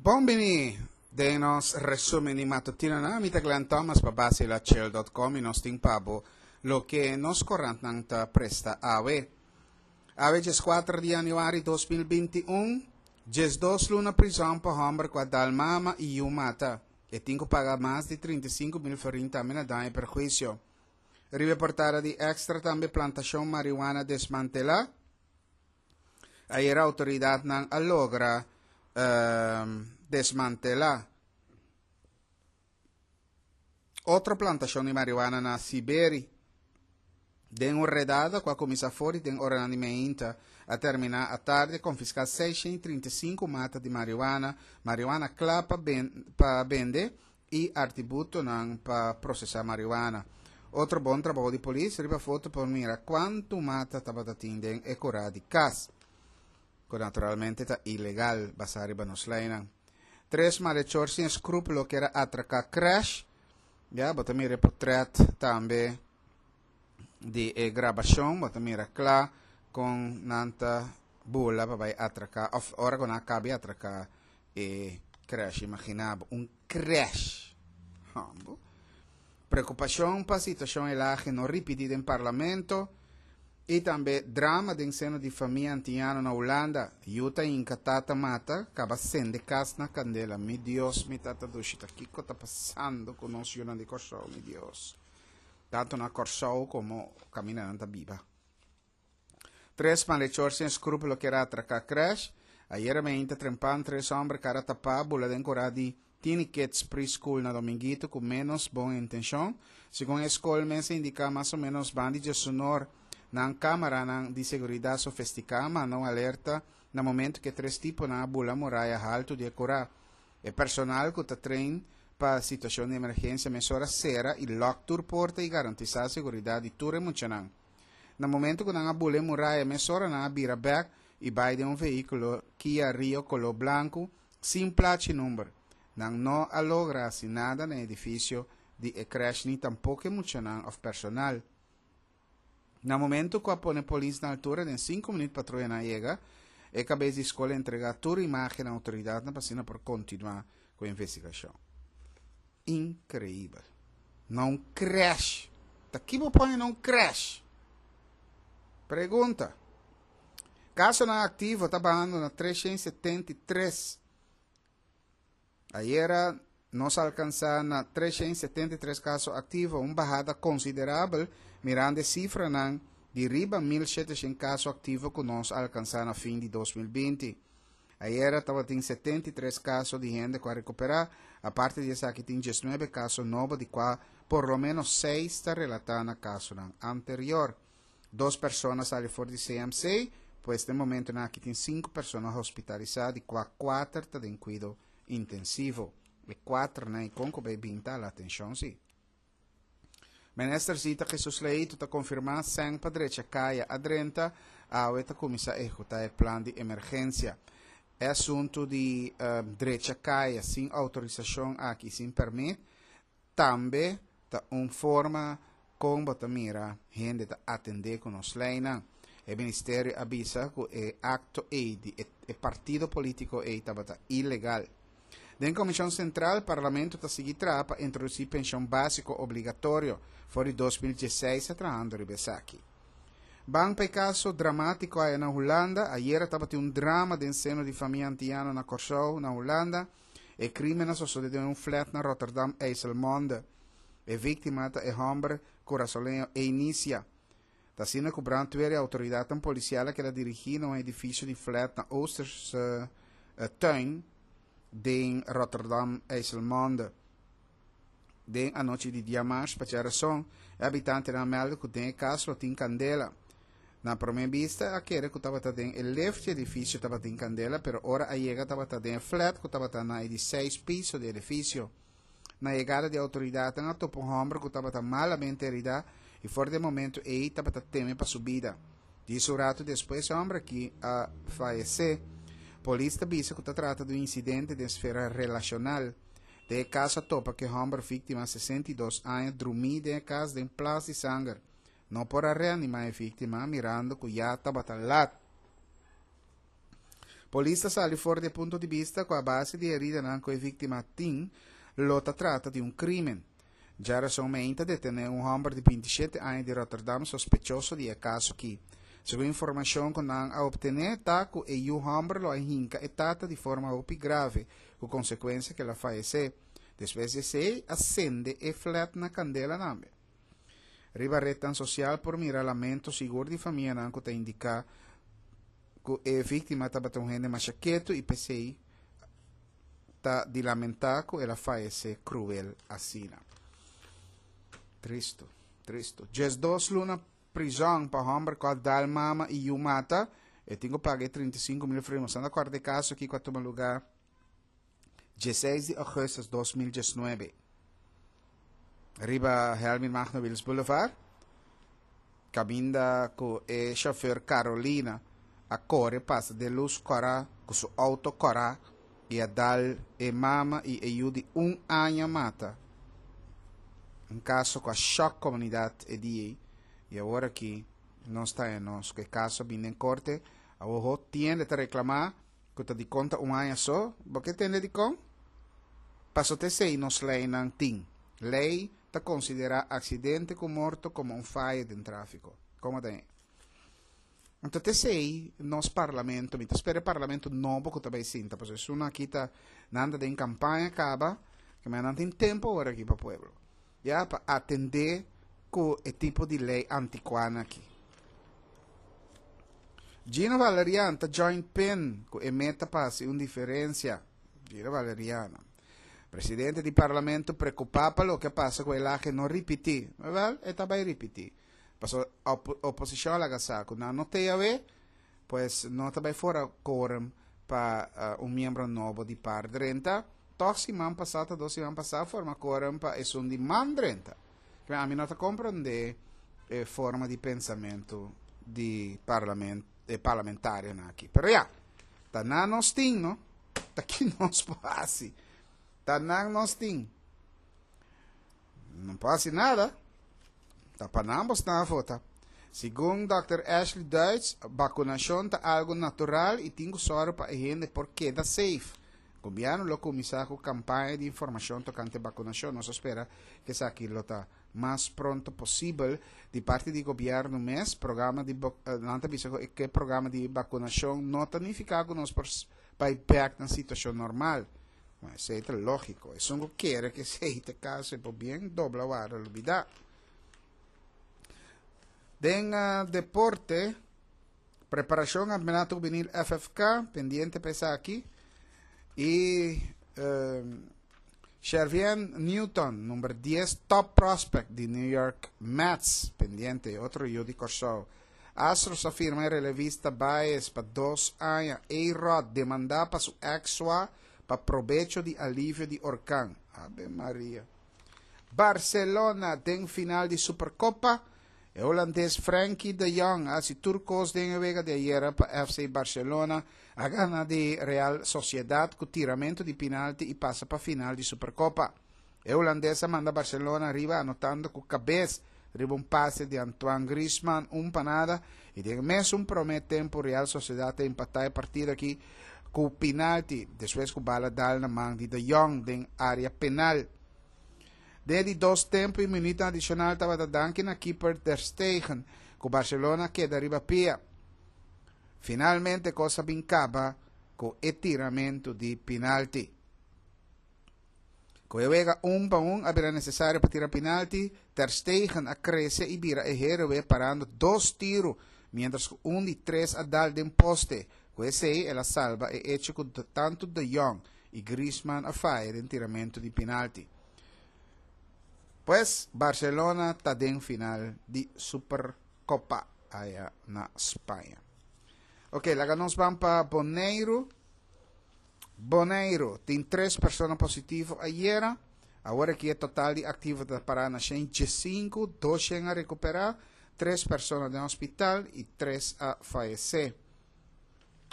Bon bini den nos resumen di matutinonan. Mi ta Glenn Thomas pa basilachel.com i nos tin pa bo loke nos korantnan ta presta awe. Awe 14 di januari 2021, 12 luna prizòn pa hòmber ku a dal mama i yu mata. E tin ku paga mas di 35 mil florin tambe na daño i perhuisio. Riba e portada di Extra tambe plantashon marihuana desmantelá. Ayer autoridadnan a logra desmantelá otro plantashon di marihuana na Siberi. Den un redada ku a kuminsá for di den oranan di meinta a terminá atardi a konfiská 635 mata di marihuana, marihuana kla pa pa bende i artibutonan pa prosesá marihuana. Otro bon trabou di polis, riba foto por mira kuantu mata tabata tin den e kurá di kas, ku naturalmente ta ilegal basá riba nos leinan. Tres malechor sin eskrúpulo kier a atraká krèsh, ya bo ta mira e potrèt tambe di e grabashon, bo ta mira kla kon nan ta bula pa bai atraká òf ora ku nan a kaba di atraká e krèsh. Imaginá bo, un krèsh! Hambo. Preokupashon pa situashon elahe no ripití den Parlamento i tambe drama den seno di famia antiano na Hulanda. Yu ta hinka tata mata, kaba sende kas na kandela. Mi Dios, mi tata dushi, ta kiko ta pasando ku nos yunan di Kòrsou, mi Dios? Tantu na Kòrsou komo kaminda nan ta biba. Tres malechor sin escrúpulo kier a atraca crash. Ayera meinta trempan tres homber cara tapá bula den cura di Tiny Kids Preschool na Dominguito cu menos bon intencion. Segun e scol mes a indica mas o menos bandi djesunor nan camaranan di seguridad sofistica a manda un alerta na momento cu e tres tiponan a bula muraya halto di e cura. E personal cu ta train pa situacion di emergencia mesora cera y lock tur porta y garantisa seguridad di tur e muchanan. Na momento ku nan a bula e muraya mesora nan a bira bèk i bai den un vehíkulo Kia Rio koló blanku sin plachi number. Nan no a logra hasi nada na e edifisio di e krèsh ni tampoko e muchanan òf personal. Na momento ku a pone polis na altura den sinku minüt patruyanan a yega. E kabes di skol a entregá tur imágen na outoridatnan pa asina por kontinuá ku e investigashon. Increibel. Na un crash. Ta ki bo pone na un crash? Pregunta. Casonan activo ta bahando na 373. Ayera nos alcansa na 373 caso activo, un bahada considerabel mirando e cifranan di riba 1700 caso activo cu nos alcansa na fin di 2020. Ayera tabatin 73 kaso di hende ku a rekuperá, aparte di esaki tin 19 kaso nobo di kua por lo ménos seis ta relatá na kasonan anterior. Dos persona a sali for di CMC, pues den momentonan aki tin sinku persona hospitalisá di kua kuater ta den kuido intensivo. E kuaternan ei kon ku bai bin ta ala atenshon si. Minister Zita Jesus Leito ta konfirmá sèn pa drecha kaya a drenta, awe ta kuminsá ehekutá e plan di emergensia. E asuntu di drecha kaya sin outorisashon aki sin pèrmit tambe ta un forma kon bo ta mira hende ta atendé ku nos leinan. E ministerio a bisa ku e akto ei di e partido polítiko ei tabata ilegal. Den Komishon Sentral, Parlamento ta sigui traha pa introdusí penshon básiko obligatorio. For di 2016 a trahando riba esaki. Ban pa e kaso dramátiko aya na Hulanda. Ayera tabatin un drama den seno di famia antiano na Kòrsou, na Hulanda. E krímen a sosodé den un flèt na Rotterdam IJsselmonde. E víktima ta e hòmber kurasoleño Einisia. Ta asina ku brandweer i outoridatnan polisial a keda dirigí na un edifisio di flèt na Oosterse Tuin den Rotterdam IJsselmonde. Den anochi di diamars pa djarason, e habitantenan a mèlda ku den e kas lo tin kandela. Na promé bista a kere ku tabata den e lift di edifisio tabatin kandela, pero ora a yega tabata den e flèt ku tabata na e di seis piso di edifisio. Na yegada di outoridatnan a topa un hòmber ku tabata malamente heridá i for di e momentu ei tabata teme pa su bida. Djis un ratu despues e hòmber aki a fayesé. Polis ta bisa ku ta trata di un insidente den sfera relashonal. Den e kas a topa ku e hòmber víktima 62 aña drumí den e kas den plas di sanger. No por a reanimá e víktima mirando ku ya tabata lat. Polis ta sali for di e punto di bista ku a base di e heridanan ku e víktima tin, lo ta trata di un krímen. Djarason meinta detené un hòmber di 27 aña di Rotterdam sospechoso di e kaso aki. Segun informashon ku nan a optené ta ku e yu hòmber lo a hinka e tata di forma hopi grave, ku konsekuensia ku el a fayesé. Despues di esei a sende e flèt na kandela tambe. Riba retnan sosial por mira lamento sigur di famianan ku ta indiká ku e víktima tabata un hende masha ketu i p'esei ta di lamentá ku el a fayesé kruel asina. Tristu, tristu. 12 luna prizòn pa hòmber ku a dal mama i yu mata, e tin ku paga e 35 mil florin. Boso a kòrda e kaso aki ku a tuma lugá 16 di ougùstùs 2019 riba Helmin Magno Wiels Boulevard, kaminda ku e shofèr Carolina a kore pasa den lus kòrá ku su outo kòrá i a dal e mama i e yu di un aña mata. Un kaso ku a shòk komunidat e dia ei i awor aki nos ta haña nos ku e kaso a bini den korte. Awor ho tiende ta reklamá ku ta dikon ta un aña so. Bo ke tende dikon? Paso ta esei nos leinan tin. Lei ta konsiderá aksidente ku morto komo un fayo den tráfiko. Komo ta e? Anto ta esei nos parlamento, mi ta spera e parlamento nobo ku ta bai sinta, pasobra esun aki ta, nan ta den kampaña kaba, ke men nan tin tempu awor aki pa pueblo, ya, pa atendé ku e tipo di lei antikuá aki. Gino Valerian ta join pin ku e meta pa hasi un diferensia. Gino Valeriano. Presidente di parlamento preokupá pa loke a pasa ku Elhage no ripití. Wèl, e ta bai ripití. Pasobra op oposishon a laga sa ku nan no t'ei awe, pues no ta bai fora quorum pa un miembro nobo di par drenta. Tòg siman pasá ta dos siman pasá a forma quorum pa esun di man drenta. Kibè ami no ta komprondé e forma di pensamentu di parlament e parlamentarionan aki. Pero ya, ta nan nos tin, no? Ta ki nos por hasi? Ta nan nos tin. No por hasi nada. Ta pa nan bo stan a vota. Segun Dòkter Ashley Duits, bakunashon ta algu natural i tin ku sòru pa e hende por keda safe. Gobièrnu lo kuminsá ku kampaña di informashon tokante bakunashon. Nos a spera ku esaki lo ta mas pronto posibel. Di parti di gobièrnu mes, programa di nan ta bisa ku e programa di bakunashon no ta nifiká ku nos por bai bèk na situashon normal. Bueno, esei ta lógiko. Esun ku kere ku esei ta e kaso e por bien dobla wara lubidá. Den deporte, preparashon Kampeonato Hubenil FFK, pendiente pa esaki. I Shervien Newton, number 10 top prospect di New York Mets, pendiente, otro yu di Kòrsou. Astros a firma e relevista Baez pa dos aña. A-Rod demandá pa su ex swa pa probecho di alivio di orkan. Ave Maria. Barcelona den final di Supercopa. E holandes Frenkie de Jong a hasi tur kos den e wega di ayera pa FC Barcelona a gana di Real Sociedad ku tiramentu di pinalti i pasa pa final di Supercopa. E hulandes a manda Barcelona riba anotando ku kabes riba un pase di Antoine Griezmann un pa nada i den e mesun prome tempu Real Sociedad a empatá e partido aki ku pinalti despues ku bala dal na man di De Jong den area penal. Den e di dos tempu i minuutnan adishonal tabata danki na keeper Ter Stegen ku Barcelona a keda riba pia. Finalmente kos a bin kaba ku e tiramentu di pinalti. Ku e wega un pa un a bira nesesario pa tira pinalti, Ter Stegen a krese i bira e héroe parando dos tiru, miéntras ku un di tres a dal den poste. Ku esei el a salba e echo ku tantu De Jong i Griezmann a faya den tiramentu di pinalti. Pues Barcelona ta den final di Supercopa aya na Spaña. Ok, laga nos ban pa Boneiru. Boneiru tin tres persona positivo ayera. Awor aki e total di aktivo ta pará na 115, 200 a rekuperá, tres persona den hospital i tres a fayesé.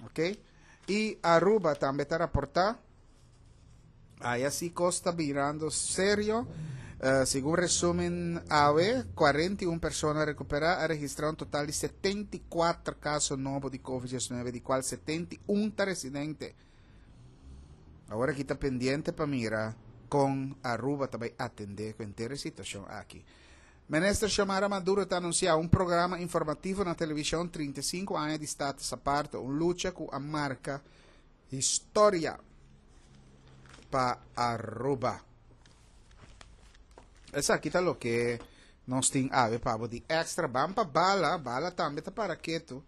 Ok? I Aruba tambe ta raportá. Aya sí kos ta birando serio. Segun resumen awe, 41 persona recupera, a registra un total di 74 caso nobo di COVID-19, di cual 71 ta residente. Awor aki ta pendiente pa mira con Aruba ta bay atende cu henter e situacion aki. Minister Xiomara Maduro ta anuncia un programa informativo na television 35 aña di Status Aparte, un lucha cu a marca historia pa Aruba. Esaki ta loke nos tin awe pa bo di extra. Ban pa Bala, Bala tambe ta para ketu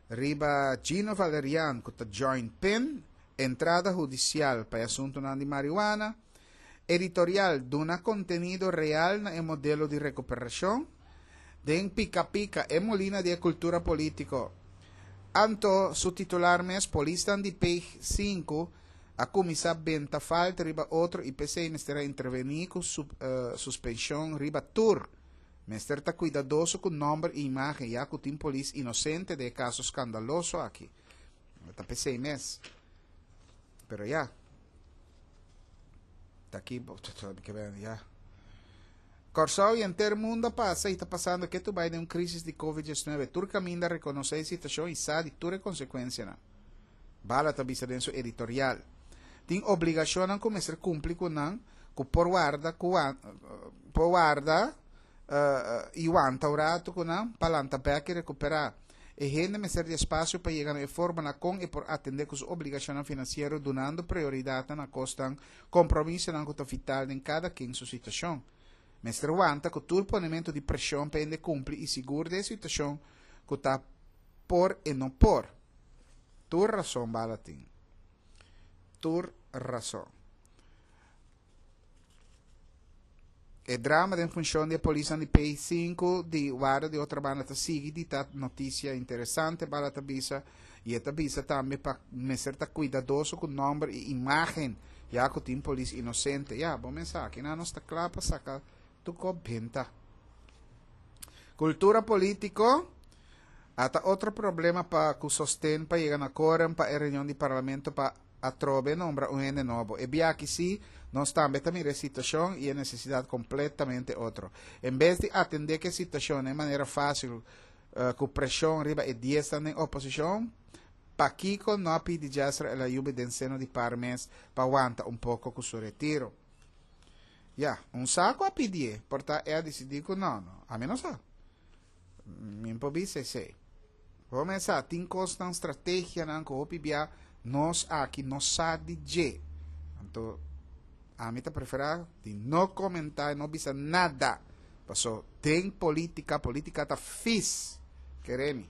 riba Gino Valerian ku ta join pin, entrada hudisial pa e asuntunan di marihuana, editorial duna kontenido real na e modelo di rekuperashon, den pika pika e molina di e kultura politiko. Anto su titular mes polisnan di Page sinku a kuminsá benta falta riba otro i p'esei mester a intervení ku suspenshon riba tur. Mester ta kuidadoso ku nòmber i imágen ya ku tin polis inosente den e kaso skandaloso aki. Ta p'esei mes. Pero ya. Ta aki ya. Kòrsou i henter mundu a pasa i ta pasando ketu bai den un krísis di Covid 19. Tur kaminda a rekonosé e situashon i sa di tur e konsekuensianan. Bala ta bisa den su editorial. Tin obligashonnan ku mester kumpli ku nan ku por warda ku por warda i wanta un ratu ku nan pa lanta bèk i rekuperá. E hende mester di espasio pa yega na e forma na kon e por atendé ku su obligashonnan finansiero dunando prioridatnan na kosnan kompromisonan ku ta vital den kada ken su situashon. Mester wanta ku tur ponementu di preshon pa hende kumpli i sigur den e situashon ku ta por e no por. Tur rason Bala tin. Tur rason. E drama den funshon di e polisnan di P5 di Warda di Otrabanda ta sigui di ta notisia interesante, Bala ta bisa, i e ta bisa tambe pa mester ta kuidadoso ku nòmber i imágen, ya ku tin polis inosente. Ya, bo mes sa, kinan nos ta kla pa saka tur kos benta. Kultura polítiko a ta otro problema pa ku sosten pa yega na kórum pa e reunion di parlamento pa Atrobe nombra un hende nobo. E biaha aki sí, nos tambe ta mira e situacion i e necesidad completamente otro. En bes di atende cu e situacion na e manera fácil cu presion riba e diesnan den oposicion, pakico no a pidi Jasser El Ayoubi den seno di par mes pa wanta un poco cu su retiro? Ya, un sa cu a pidié, por ta e a dicidi cu no, no. Ami no sa. Mi por bisa esei. Bo mes sa, tin kosnan, strategianan ku hopi bia nos aki no sa di dje. Anto, ami ta preferá di no komentá i no bisa nada. Paso, den polítika, polítika ta fis. Kere mi.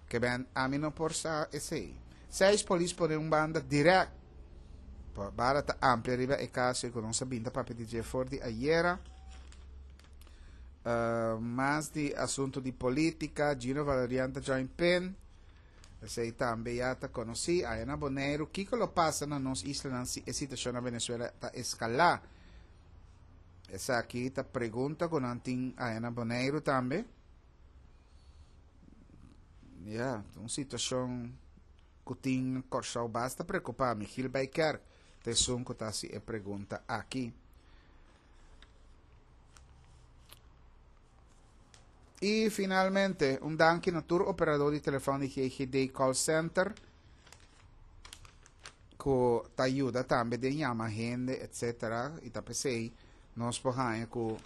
Ke ben, ami no por sa esei. Seis polis pone un banda dirèkt. Bara ta amplia riba e kaso i ku nos a binta papia di dje for di ayera. Mas di asunto di politica, Gino Valerian ta join pen. Esei tambe ya ta conoci. Aya na Boneiru, kiko lo pasa na nos islanan si e situacion na Venezuela ta escala? Esaki ta pregunta cu nan tin aya na Boneiru tambe. Ya, un situacion cu tin Corsou basta preocupa. Michiel Bijkerk ta esun cu ta haci e pregunta aki. I finalmente, un danki na tur operador di telefòn di GGD Call Center ku ta yuda tambe den yama hende etcetera i ta p'esei nos por haña ku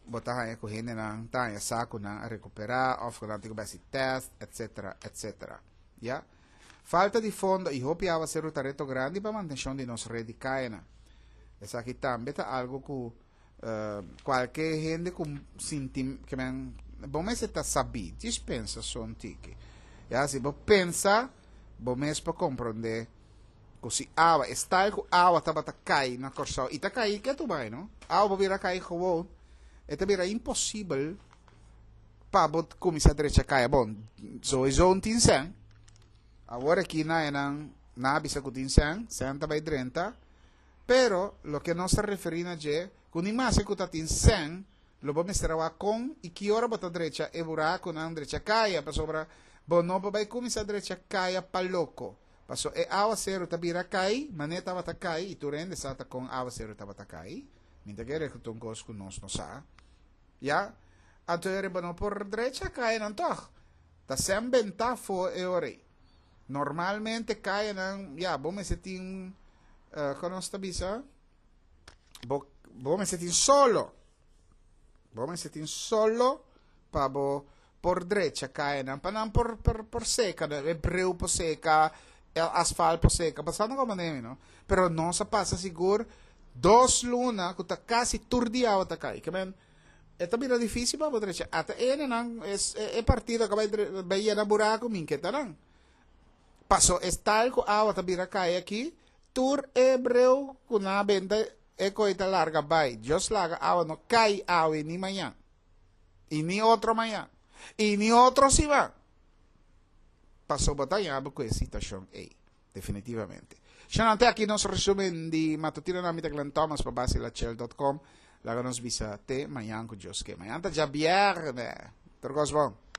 bo ta haña ku hendenan ta haña sa ku nan a rekuperá òf ku nan tin ku bai hasi tèst etcetera etcetera ya. Falta di fondo i hopi awaseru ta reto grandi pa mantenshon di nos red di kayanan. Esaki tambe ta algu ku kualke hende ku sinti ke men bo mester ta sabí, djis pensa so un tiki. Ya, si bo pensa, bo mes por komprondé ku si awa, e style ku awa tabata kai na Kòrsou, i ta kai ketu bai no, awa por bira kai gewoon, e ta bira imposibel pa bo kuminsá drecha kaya. Bon, sowieso un tin sèn. Awor aki na enan nan a bisa ku tin sèn, sèn ta bai drenta. Pero loke nos ta referí na dje, ku ni maske ku ta tin sèn, lo bo mester a wak kon i ki ora bo ta drecha e burakunan, drecha kaya, pasobra bo no por bai kuminsá drecha kaya pa loko. Paso e awaseru ta bira kai, manera tabata kai, i tur hende sa ta kon awaseru tabata kai. Mi ta kere ku ta un kos ku nos no sa. Ya, anto e riba no por drecha kayanan tòg. Ta sèn bentá afó e ora ei. Normalmente kayanan, ya, bo mester tin, kon nos ta bisa? Bo, bo mester tin solo. Bo mester tin solo pa bo por drecha kayanan, pa nan por, por, por seka, e breu por seka, e asfalt por seka, pasando como nemi, no? Pero nos a pasa sigur dos luna ku ta kasi tur dia awa ta kai. Ke men, e ta bira difícil pa bo drecha. Ata enenan, es, e, e partido ka bai, bai yena buraku, min ke ta nan. Paso es tal ku awa ta bira kai aki, tur e breu ku nan a benta e koi ta larga bai. Dios laga awa no kai awe ni mañan. I ni otro mañan. I ni otro siman. Paso bo ta yaba ku e situashon ei. Definitivamente. Shana, te aki nos resumen di matutino na mi ta Glenn Thomas pa basilachel.com. Laga nos bisa te mañan ku Dios ke. Mañan ta djabièrnè. Tur kos bon.